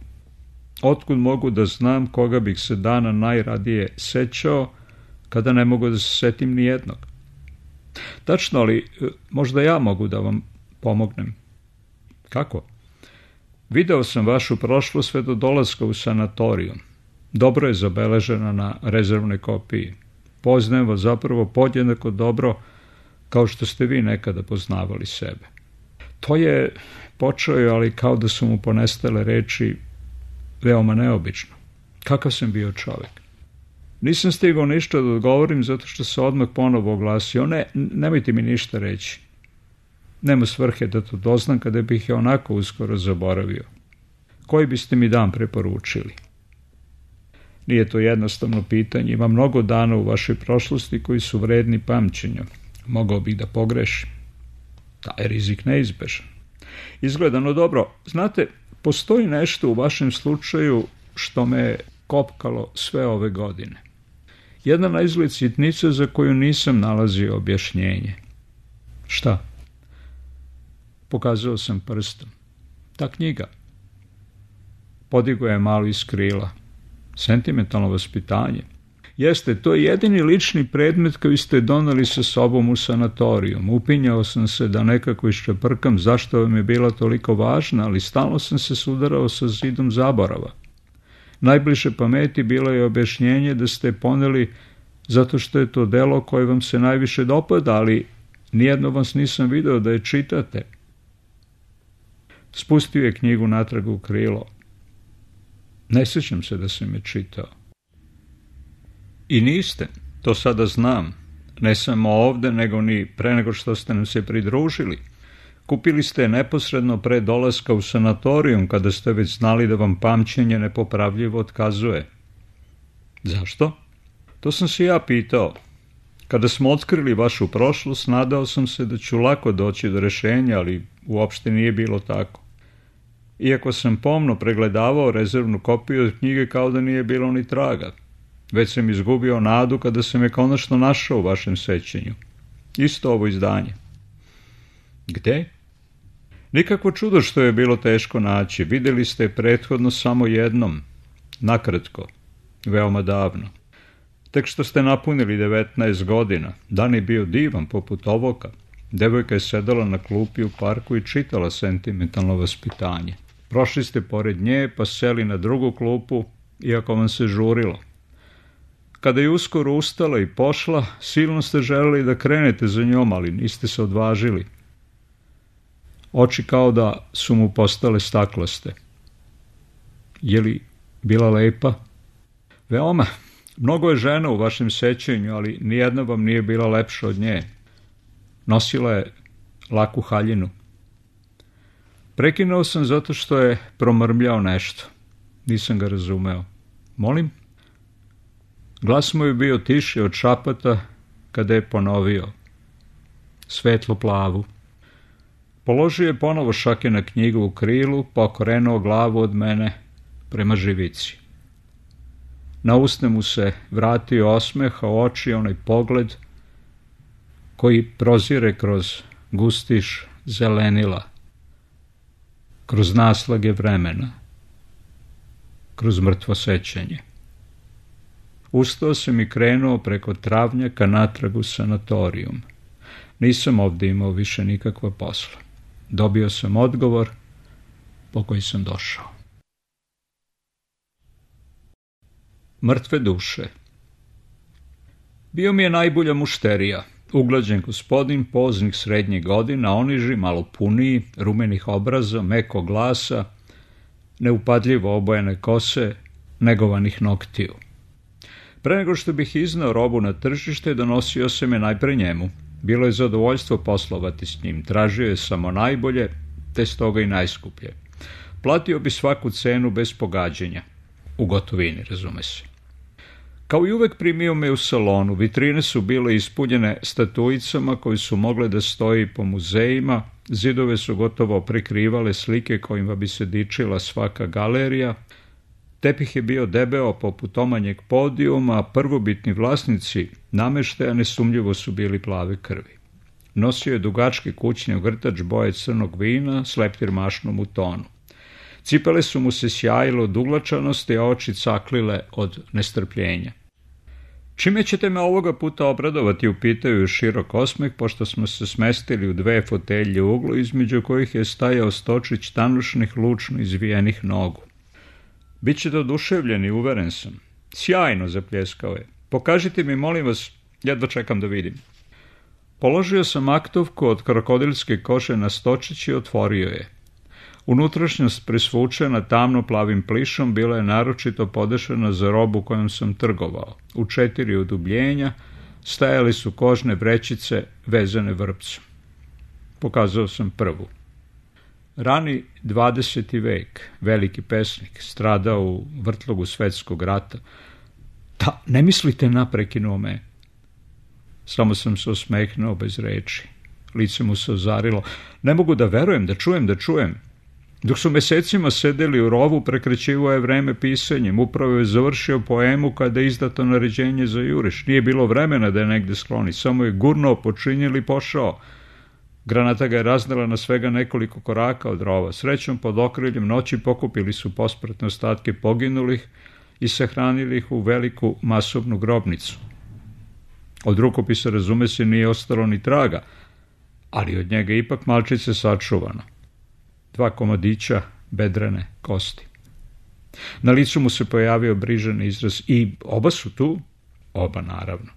[SPEAKER 1] Otkud mogu da znam koga bih se dana najradije sećao, kada ne mogu da se setim ni jednog? Tačno, ali možda ja mogu da vam pomognem. Kako? Video sam vašu prošlost sve do dolaska u sanatorijum. Dobro je zabeležena na rezervnoj kopiji. Poznajem vas zapravo podjednako dobro kao što ste vi nekada poznavali sebe. To je počeo, ali kao da su mu ponestale reči, veoma neobično. Kakav sam bio čovjek? Nisam stigao ništa da odgovorim zato što se odmah ponovo oglasio. Nemojte mi ništa reći. Nema svrhe da to doznam kada bih je onako uskoro zaboravio. Koji biste mi dan preporučili? Nije to jednostavno pitanje. Ima mnogo dana u vašoj prošlosti koji su vredni pamćenja. Mogao bih da pogrešim. Taj je rizik neizbežan. Izgledano dobro. Znate, postoji nešto u vašem slučaju što me je kopkalo sve ove godine. Jedna naizgled sitnica za koju nisam nalazio objašnjenje. Šta? Pokazao sam prstom. Ta knjiga. Podigao je malo iz krila. Sentimentalno vaspitanje. Jeste, to je jedini lični predmet koji ste doneli sa sobom u sanatorijum. Upinjao sam se da nekako iščeprkam zašto vam je bila toliko važna, ali stalno sam se sudarao sa zidom zaborava. Najbliže pameti bilo je objašnjenje da ste poneli zato što je to delo koje vam se najviše dopada, ali nijedno vas nisam video da je čitate. Spustio je knjigu natrag u krilo. Ne sjećam se da sam je čitao. I niste, to sada znam, ne samo ovde, nego ni pre nego što ste nam se pridružili. Kupili ste je neposredno pre dolaska u sanatorijum, kada ste već znali da vam pamćenje nepopravljivo otkazuje. Zašto? To sam se ja pitao. Kada smo otkrili vašu prošlost, nadao sam se da ću lako doći do rešenja, ali uopšte nije bilo tako. Iako sam pomno pregledavao rezervnu kopiju od knjige, kao da nije bilo ni traga. Već sam izgubio nadu kada sam je konačno našao u vašem sećanju. Isto ovo izdanje. Gde? Nikakvo čudo što je bilo teško naći. Videli ste je prethodno samo jednom. Nakratko. Veoma davno. Tek što ste napunili 19 godina. Dan je bio divan poput ovoga. Devojka je sedala na klupi u parku i čitala sentimentalno vaspitanje. Prošli ste pored nje pa seli na drugu klupu, iako vam se žurilo. Kada je uskoro ustala i pošla, silno ste želeli da krenete za njom, ali niste se odvažili. Oči kao da su mu postale staklaste. Je li bila lepa? Veoma. Mnogo je žena u vašem sećanju, ali nijedna vam nije bila lepša od nje. Nosila je laku haljinu. Prekinuo sam zato što je promrmljao nešto. Nisam ga razumeo. Molim? Glas mu je bio tiši od šapata kada je ponovio. Svetlo plavu. Položio je ponovo šake na knjigu u krilu, pa okrenuo glavu od mene prema živici. Na usne mu se vratio osmeh, a u oči onaj pogled koji prozire kroz gustiš zelenila. kroz naslage vremena, kroz mrtvo sećanje. Ustao sam i krenuo preko travnjaka natrag u sanatorijum. Nisam ovdje imao više nikakva posla. Dobio sam odgovor po koji sam došao. Mrtve duše. Bio mi je najbolja mušterija, uglađen gospodin poznih srednjih godina, oniži, malo puniji, rumenih obraza, mekog glasa, neupadljivo obojene kose, negovanih noktiju. Pre nego što bih iznao robu na tržište, donosio sam je najpre njemu. Bilo je zadovoljstvo poslovati s njim, tražio je samo najbolje, te stoga i najskuplje. Platio bi svaku cenu bez pogađanja, u gotovini, razume se. Kao i uvek primio me u salonu, vitrine su bile ispunjene statuicama koje su mogle da stoji po muzejima, zidove su gotovo prekrivale slike kojima bi se dičila svaka galerija, tepih je bio debeo poput omanjeg podijuma, a prvobitni vlasnici nameštaja nesumnjivo su bili plave krvi. Nosio je dugački kućni ogrtač boje crnog vina s leptir mašnom u tonu. Cipele su mu se sjajile od uglačanosti, a oči caklile od nestrpljenja. Čime ćete me ovoga puta obradovati, upitaju širok osmeh, pošto smo se smestili u dve fotelje u uglu, između kojih je stajao stočić tanušnih, lučno izvijenih nogu. Bićete oduševljeni, uveren sam. Sjajno, zapljeskao je. Pokažite mi, molim vas, jedva čekam da vidim. Položio sam aktovku od krokodilske kože na stočić i otvorio je. Unutrašnjost presvučena tamno plavim plišom bila je naročito podešena za robu kojom sam trgovao. U 4 udubljenja stajali su kožne vrećice vezane vrpcom. Pokazao sam prvu. Rani 20. vek, veliki pesnik, stradao u vrtlogu svetskog rata. Da, ne mislite na, prekinuo me. Samo sam se osmehnuo bez reči. Lice mu se ozarilo. Ne mogu da verujem, da čujem. Dok su mesecima sedeli u rovu, prekrećivo je vreme pisanjem. Upravo je završio poemu kada je izdato naređenje za juriš. Nije bilo vremena da je negde skloni. Samo je gurnuo, počinjel i pošao. Granata ga je raznela na svega nekoliko koraka od rova. Srećom, pod okriljem noći pokupili su pospratne ostatke poginulih i sahranili ih u veliku masovnu grobnicu. Od rukopisa, razume se, nije ostalo ni traga, ali od njega ipak malčice sačuvano. 2 komadića bedrene kosti. Na licu mu se pojavio brižan izraz. I oba su tu? Oba, naravno.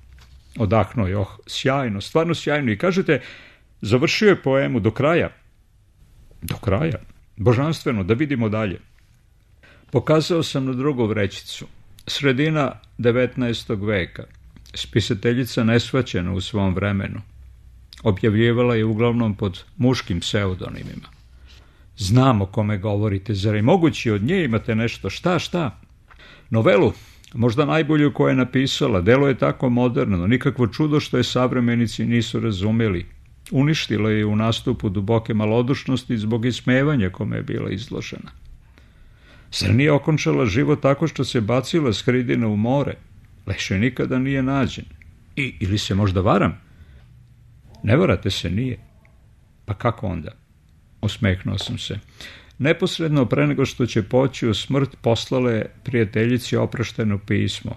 [SPEAKER 1] Odahnuo je, sjajno, stvarno sjajno. I kažete, završio je poemu do kraja? Do kraja? Božanstveno, da vidimo dalje. Pokazao sam na drugu vrećicu. Sredina 19. veka. Spisateljica nesvaćena u svom vremenu. Objavljivala je uglavnom pod muškim pseudonimima. Znam o kome govorite, zar je moguće od nje imate nešto? Šta? Novelu, možda najbolju koju je napisala, delo je tako moderno, nikakvo čudo što je savremenici nisu razumeli. Uništila je u nastupu duboke malodušnosti zbog ismevanja kome je bila izložena. Zar nije okončala život tako što se bacila s hridina u more? Leše nikada nije nađen. Ili se možda varam? Ne varate se, nije. Pa kako onda? Osmehnuo sam se. Neposredno pre nego što će poći u smrt, poslala je prijateljici oprošteno pismo.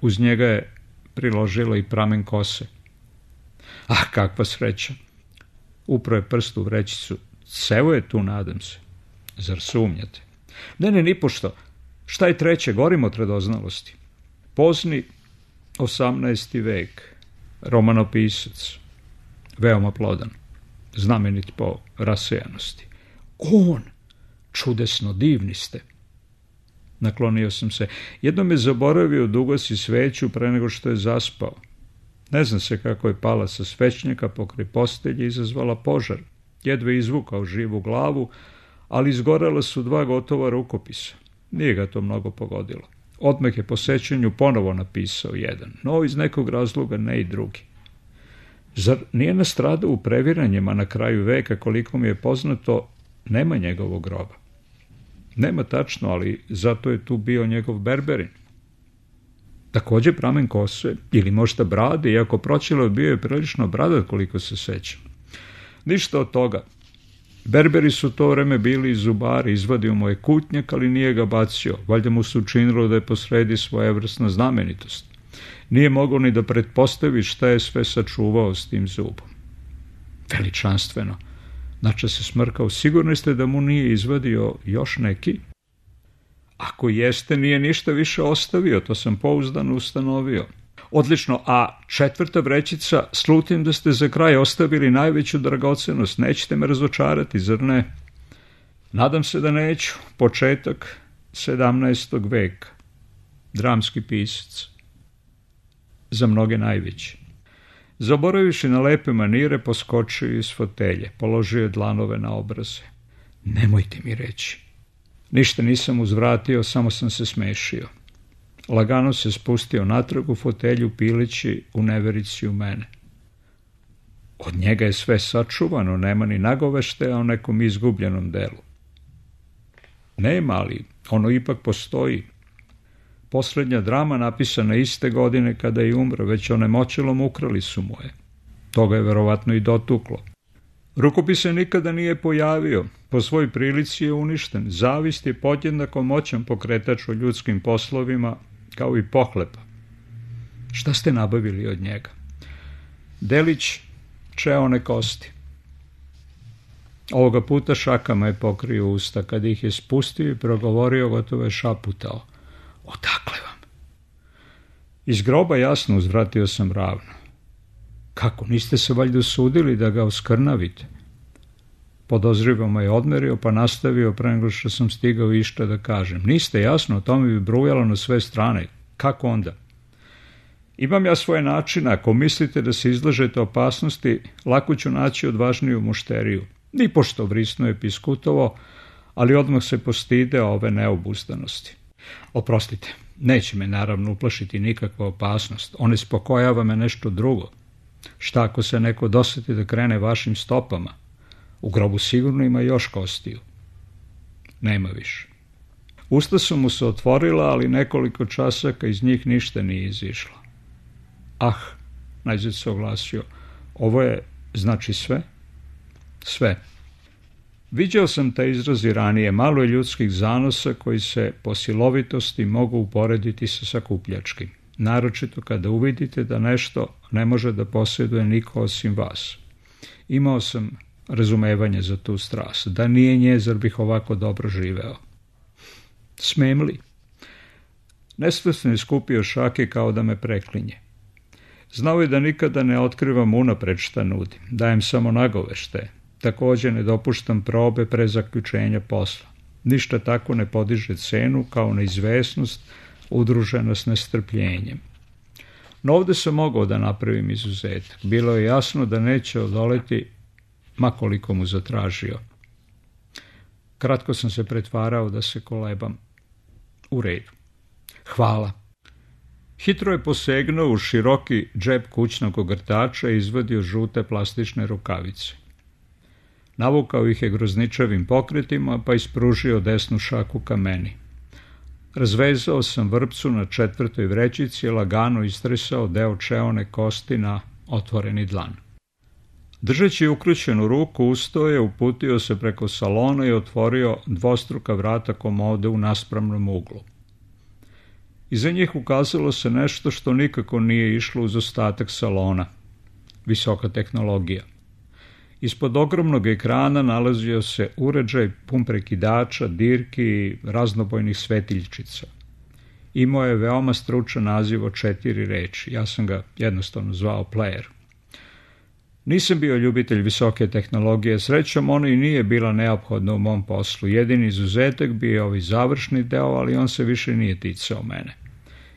[SPEAKER 1] Uz njega je priložila i pramen kose. Ah, kakva sreća! Upro je prst u vrećicu. Cevo je tu, nadam se. Zar sumnjate? Ne, nipošto. Šta je treće? Gorim od radoznalosti. Pozni 18. vek. Romanopisac. Veoma plodan. Znamenit po rasejanosti. On! Čudesno, divni ste. Naklonio sam se. Jednom je zaboravio da ugasi sveću pre nego što je zaspao. Ne zna se kako je pala sa svećnjaka pokraj postelje i izazvala požar. Jedva izvukao živu glavu, ali izgorela su 2 gotova rukopisa. Nije ga to mnogo pogodilo. Odmah je po sećanju ponovo napisao jedan, no iz nekog razloga ne i drugi. Zar nije nastradao u previranjima na kraju veka, koliko mi je poznato, nema njegovog groba? Nema tačno, ali zato je tu bio njegov berberin. Također pramen kose, ili možda brade, iako pročilo bio je prilično bradat koliko se sećam. Ništa od toga. Berberi su to vreme bili zubari, izvadio mu je kutnjak, ali nije ga bacio. Valjda mu se učinilo da je posredi svojevrsna znamenitost. Nije mogao ni da pretpostavi šta je sve sačuvao s tim zubom. Veličanstveno. Znači se smrkao. Sigurni ste da mu nije izvadio još neki? Ako jeste, nije ništa više ostavio, to sam pouzdano ustanovio. Odlično, a 4. vrećica, slutim da ste za kraj ostavili najveću dragocenost. Nećete me razočarati, zar ne? Nadam se da neću. Početak 17. veka. Dramski pisac. Za mnoge najveći. Zaboravivši na lepe manire, poskočio iz fotelje. Položio je dlanove na obraze. Nemojte mi reći. Ništa nisam uzvratio, samo sam se smešio. Lagano se spustio natrag u fotelju, pileći u neverici u mene. Od njega je sve sačuvano, nema ni nagoveštaja o nekom izgubljenom delu. Nema, ali ono ipak postoji. Poslednja drama napisana iste godine kada je umro, već onemoćelom ukrali su mu je. Toga je verovatno i dotuklo. Rukopis se nikada nije pojavio, po svoj prilici je uništen. Zavist je podjednako moćan pokretač u ljudskim poslovima, kao i pohlepa. Šta ste nabavili od njega? Delić čeone kosti. Ovoga puta šakama je pokrio usta, kad ih je spustio i progovorio, gotovo je šaputao. Odakle vam? Iz groba, jasno, uzvratio sam ravno. Kako, niste se valjda usudili da ga oskrnavite? Podozrivo je odmerio, pa nastavio pre nego što sam stigao išta da kažem. Niste, jasno, o tome bi brujalo na sve strane. Kako onda? Imam ja svoje načine, ako mislite da se izlažete opasnosti, lako ću naći odvažniju mušteriju. Nipošto vrisno je Piskutovo, ali odmah se postideo ove neobuzdanosti. Oprostite, neće me naravno uplašiti nikakva opasnost, on ispokojava me nešto drugo. Šta ako se neko doseti da krene vašim stopama? U grobu sigurno ima još kostiju. Nema više. Usta su mu se otvorila, ali nekoliko časaka iz njih ništa nije izišlo. Ah, najzad se oglasio, ovo je, znači sve? Sve. Viđao sam taj izraz i ranije, malo je ljudskih zanosa koji se po silovitosti mogu uporediti sa sakupljačkim. Naročito kada uvidite da nešto ne može da posjeduje niko osim vas. Imao sam razumevanje za tu strast. Da nije nje, zar bih ovako dobro živeo? Smem li? Nesvesno je skupio šake kao da me preklinje. Znao je da nikada ne otkrivam unapred šta nudim. Dajem samo nagovešte. Također ne dopuštam probe pre zaključenja posla. Ništa tako ne podiže cenu kao neizvesnost udružena s nestrpljenjem. No ovde sam mogao da napravim izuzetak. Bilo je jasno da neće odoleti ma koliko mu zatražio. Kratko sam se pretvarao da se kolebam. U redu. Hvala. Hitro je posegnuo u široki džep kućnog ogrtača i izvadio žute plastične rukavice. Navukao ih je grozničavim pokretima, pa ispružio desnu šaku ka meni. Razvezao sam vrpcu na 4. vrećici i lagano istresao deo čeone kosti na otvoreni dlan. Držeći ukrućenu ruku, ustao je, uputio se preko salona i otvorio dvostruka vrata komode u naspravnom uglu. Iza njih ukazalo se nešto što nikako nije išlo uz ostatak salona. Visoka tehnologija. Ispod ogromnog ekrana nalazio se uređaj pun prekidača, dirki i raznobojnih svetiljčica. Imao je veoma stručan naziv od 4 reči. Ja sam ga jednostavno zvao player. Nisam bio ljubitelj visoke tehnologije, srećom ono i nije bila neophodna u mom poslu. Jedini izuzetak bio je ovaj završni deo, ali on se više nije ticao mene.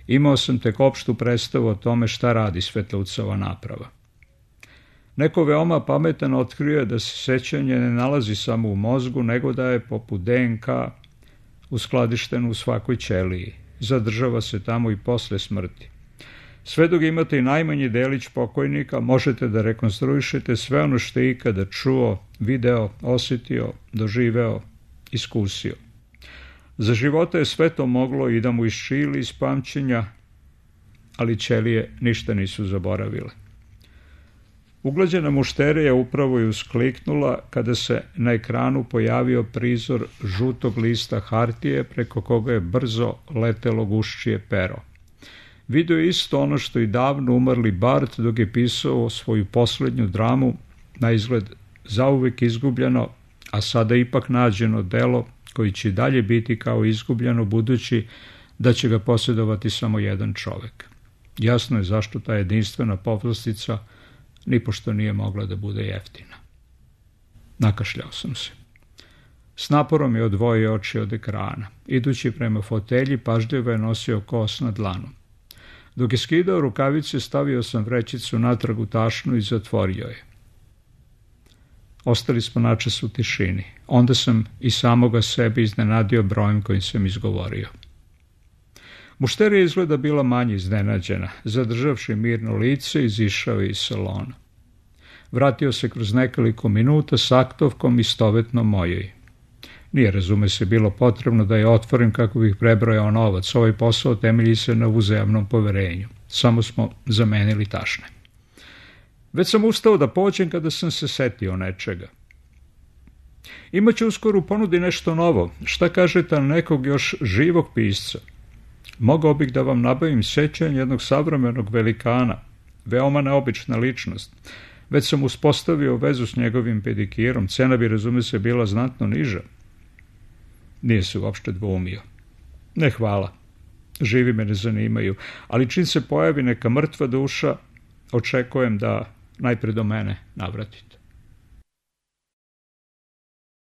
[SPEAKER 1] Imao sam tek opštu predstavu o tome šta radi svetloucova naprava. Neko veoma pametan otkrio je da se sećanje ne nalazi samo u mozgu, nego da je poput DNK uskladišteno u svakoj ćeliji. Zadržava se tamo i posle smrti. Sve dok imate i najmanji delić pokojnika, možete da rekonstruišete sve ono što je ikada čuo, video, osjetio, doživeo, iskusio. Za života je sve to moglo i da mu iščili iz pamćenja, ali ćelije ništa nisu zaboravile. Uglađena mušterija upravo je uskliknula kada se na ekranu pojavio prizor žutog lista hartije preko koga je brzo letelo guščije pero. Video je isto ono što i davno umrli Bart dok je pisao svoju poslednju dramu, na izgled zauvek izgubljeno, a sada ipak nađeno delo koji će dalje biti kao izgubljeno budući da će ga posjedovati samo jedan čovek. Jasno je zašto ta jedinstvena povlastica nipošto nije mogla da bude jeftina. Nakašljao sam se. S naporom je odvojio oči od ekrana. Idući prema fotelji, pažljivo je nosio kos na dlanu. Dok je skidao rukavice, stavio sam vrećicu natrag u tašnu i zatvorio je. Ostali smo načas u tišini. Onda sam i samoga sebe iznenadio brojem kojim sam izgovorio. Mušterija izgleda bila manje iznenađena. Zadržavši mirno lice, izišao je iz salona. Vratio se kroz nekoliko minuta s aktovkom istovetno mojoj. Nije, razume se, bilo potrebno da je otvorim kako bih prebrojao novac. Ovaj posao temelji se na uzajamnom poverenju. Samo smo zamenili tašne. Već sam ustao da pođem kada sam se setio nečega. Imaće uskoro u ponudi nešto novo. Šta kažete na nekog još živog pisca? Mogao bih da vam nabavim sećanje jednog savremenog velikana, veoma neobična ličnost. Već sam uspostavio vezu s njegovim pedikirom, cena bi, razume se, bila znatno niža. Nije se uopšte dvoumio. Ne, hvala. Živi me ne zanimaju, ali čim se pojavi neka mrtva duša, očekujem da najpre do mene navratite.